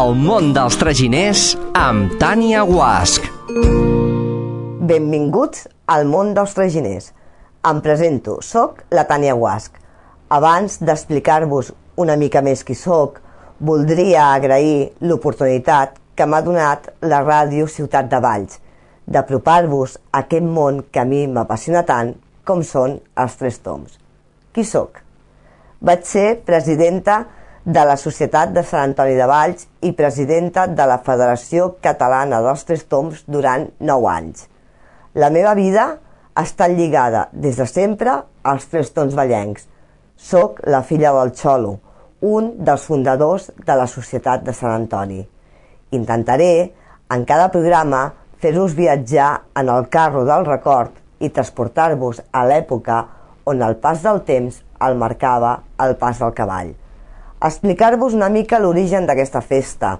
El món dels traginers amb Tània Guasch. Benvinguts al món dels traginers. Em presento, soc la Tània Guasch. Abans d'explicar-vos una mica més qui soc, voldria agrair l'oportunitat que m'ha donat la ràdio Ciutat de Valls d'apropar-vos a aquest món que a mi m'apassiona tant com són els Tres Tombs. Qui soc? Vaig ser presidenta de la Societat de Sant Antoni de Valls i presidenta de la Federació Catalana dels Tres Tombs durant 9 anys. La meva vida ha estat lligada des de sempre als Tres Tombs vallencs. Soc la filla del Xolo, un dels fundadors de la Societat de Sant Antoni. Intentaré, en cada programa, fer-vos viatjar en el carro del record i transportar-vos a l'època on el pas del temps el marcava el pas del cavall. Explicar-vos una mica l'origen d'aquesta festa,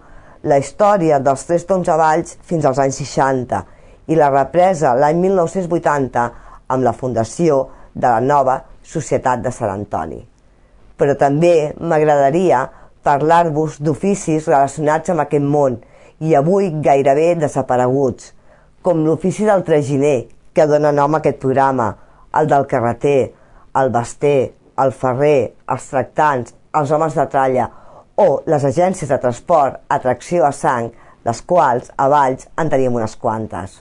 la història dels Tres Tombs a Valls fins als anys 60 i la represa l'any 1980 amb la fundació de la nova Societat de Sant Antoni. Però també m'agradaria parlar-vos d'oficis relacionats amb aquest món i avui gairebé desapareguts, com l'ofici del traginer, que dona nom a aquest programa, el del carreter, el baster, el ferrer, els tractants, els homes de tralla o les agències de transport a tracció a sang, les quals a Valls en teníem unes quantes.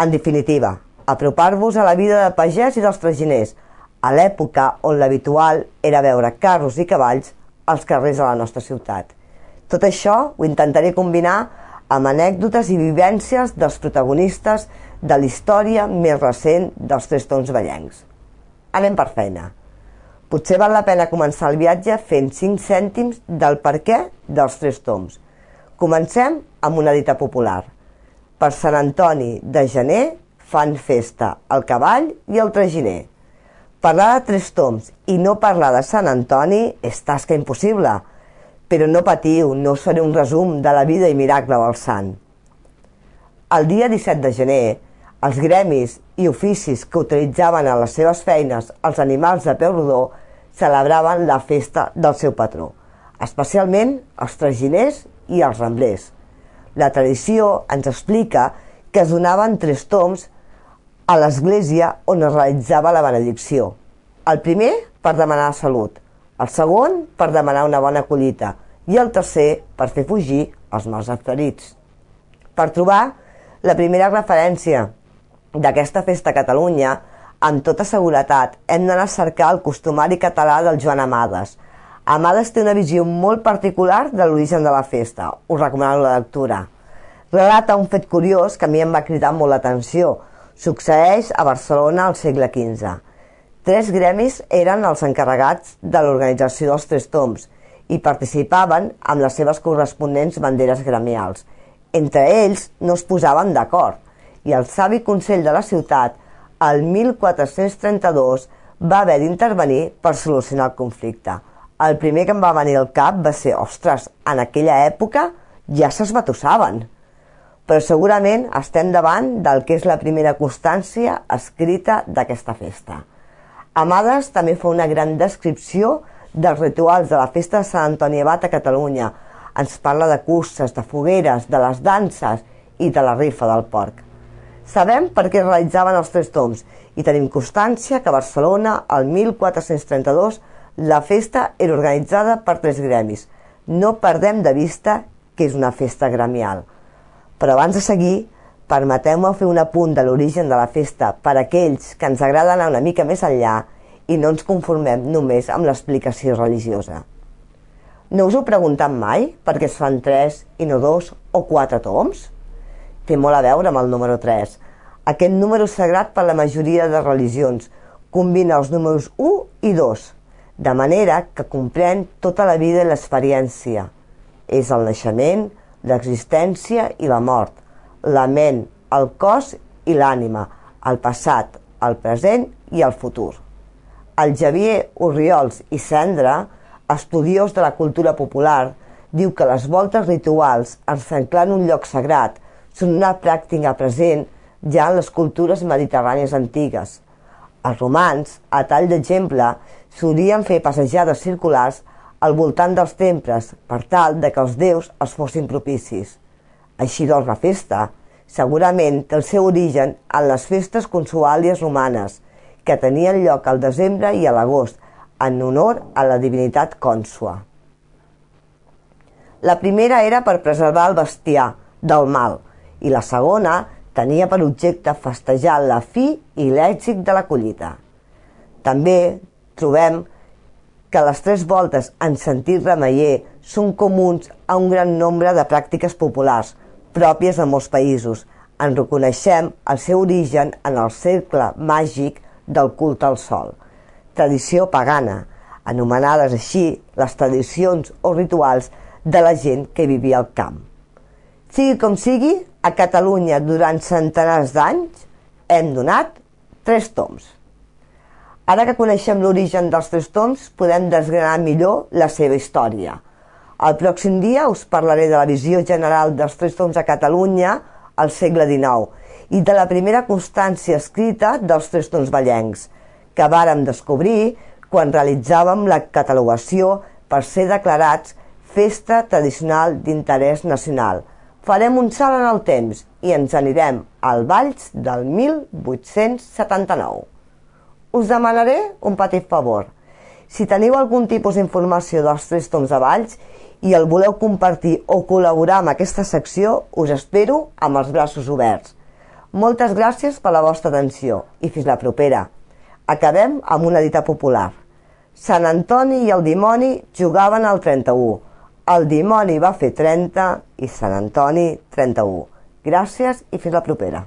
En definitiva, apropar-vos a la vida de pagès i dels traginers, a l'època on l'habitual era veure carros i cavalls als carrers de la nostra ciutat. Tot això ho intentaré combinar amb anècdotes i vivències dels protagonistes de la història més recent dels Tres Tombs vallencs. Anem per feina. Potser val la pena començar el viatge fent 5 cèntims del perquè dels Tres Tombs. Comencem amb una dita popular. Per Sant Antoni de gener fan festa el cavall i el traginer. Parlar de Tres Tombs i no parlar de Sant Antoni és tasca impossible, però no patiu, no us faré un resum de la vida i miracle del sant. El dia 17 de gener, els gremis i oficis que utilitzaven a les seves feines els animals de peu rodó celebraven la festa del seu patró, especialment els traginers i els ramblers. La tradició ens explica que es donaven 3 tombs a l'església on es realitzava la benedicció. El primer per demanar salut, el segon per demanar una bona collita i el tercer per fer fugir els mals ferits. Per trobar la primera referència d'aquesta festa a Catalunya, amb tota seguretat hem d'anar a cercar el costumari català del Joan Amades. Amades té una visió molt particular de l'origen de la festa, us recomano la lectura. Relata un fet curiós que a mi em va cridar molt l'atenció. Succeeix a Barcelona al segle XV. 3 gremis eren els encarregats de l'organització dels Tres Tombs i participaven amb les seves corresponents banderes gremials. Entre ells no es posaven d'acord i el savi Consell de la ciutat, el 1432, va haver d'intervenir per solucionar el conflicte. El primer que em va venir al cap va ser, ostres, en aquella època ja s'esbatussaven. Però segurament estem davant del que és la primera constància escrita d'aquesta festa. Amades també fa una gran descripció dels rituals de la festa de Sant Antoni Abat a Catalunya. Ens parla de curses, de fogueres, de les danses i de la rifa del porc. Sabem per què es realitzaven els Tres Tombs i tenim constància que a Barcelona, el 1432, la festa era organitzada per 3 gremis. No perdem de vista que és una festa gremial. Però abans de seguir, permeteu-me fer un apunt de l'origen de la festa per a aquells que ens agrada anar una mica més enllà i no ens conformem només amb l'explicació religiosa. No us heu preguntat mai per què es fan 3 i no 2 o 4 tombs? Té molt a veure amb el número 3. Aquest número és sagrat per la majoria de religions. Combina els números 1 i 2, de manera que comprèn tota la vida i l'experiència. És el naixement, l'existència i la mort, la ment, el cos i l'ànima, el passat, el present i el futur. El Xavier Orriols i Cendra, estudiós de la cultura popular, diu que les voltes rituals, encerclant un lloc sagrat, són una pràctica present ja en les cultures mediterrànies antigues. Els romans, a tall d'exemple, solien fer passejades circulars al voltant dels temples per tal de que els déus els fossin propicis. Així doncs la festa segurament té el seu origen en les festes consuàlies romanes, que tenien lloc al desembre i a l'agost, en honor a la divinitat Consua. La primera era per preservar el bestiar del mal i la segona tenia per objecte festejar la fi i l'èxit de la collita. També trobem que les 3 voltes en sentit remeier són comuns a un gran nombre de pràctiques populars, pròpies de molts països. En reconeixem el seu origen en el cercle màgic del culte al sol, tradició pagana, anomenades així les tradicions o rituals de la gent que vivia al camp. Sigui com sigui, a Catalunya durant centenars d'anys hem donat 3 tombs. Ara que coneixem l'origen dels 3 tombs, podem desgranar millor la seva història. El pròxim dia us parlaré de la visió general dels 3 tombs a Catalunya al segle XIX i de la primera constància escrita dels 3 tombs vallencs, que vàrem descobrir quan realitzàvem la catalogació per ser declarats festa tradicional d'interès nacional. Farem un salt en el temps i ens anirem al Valls del 1879. Us demanaré un petit favor. Si teniu algun tipus d'informació dels 3 tombs de Valls i el voleu compartir o col·laborar amb aquesta secció, us espero amb els braços oberts. Moltes gràcies per la vostra atenció i fins la propera. Acabem amb una dita popular. Sant Antoni i el dimoni jugaven al 31. El dimoni va fer 30 i Sant Antoni 31. Gràcies i fins la propera.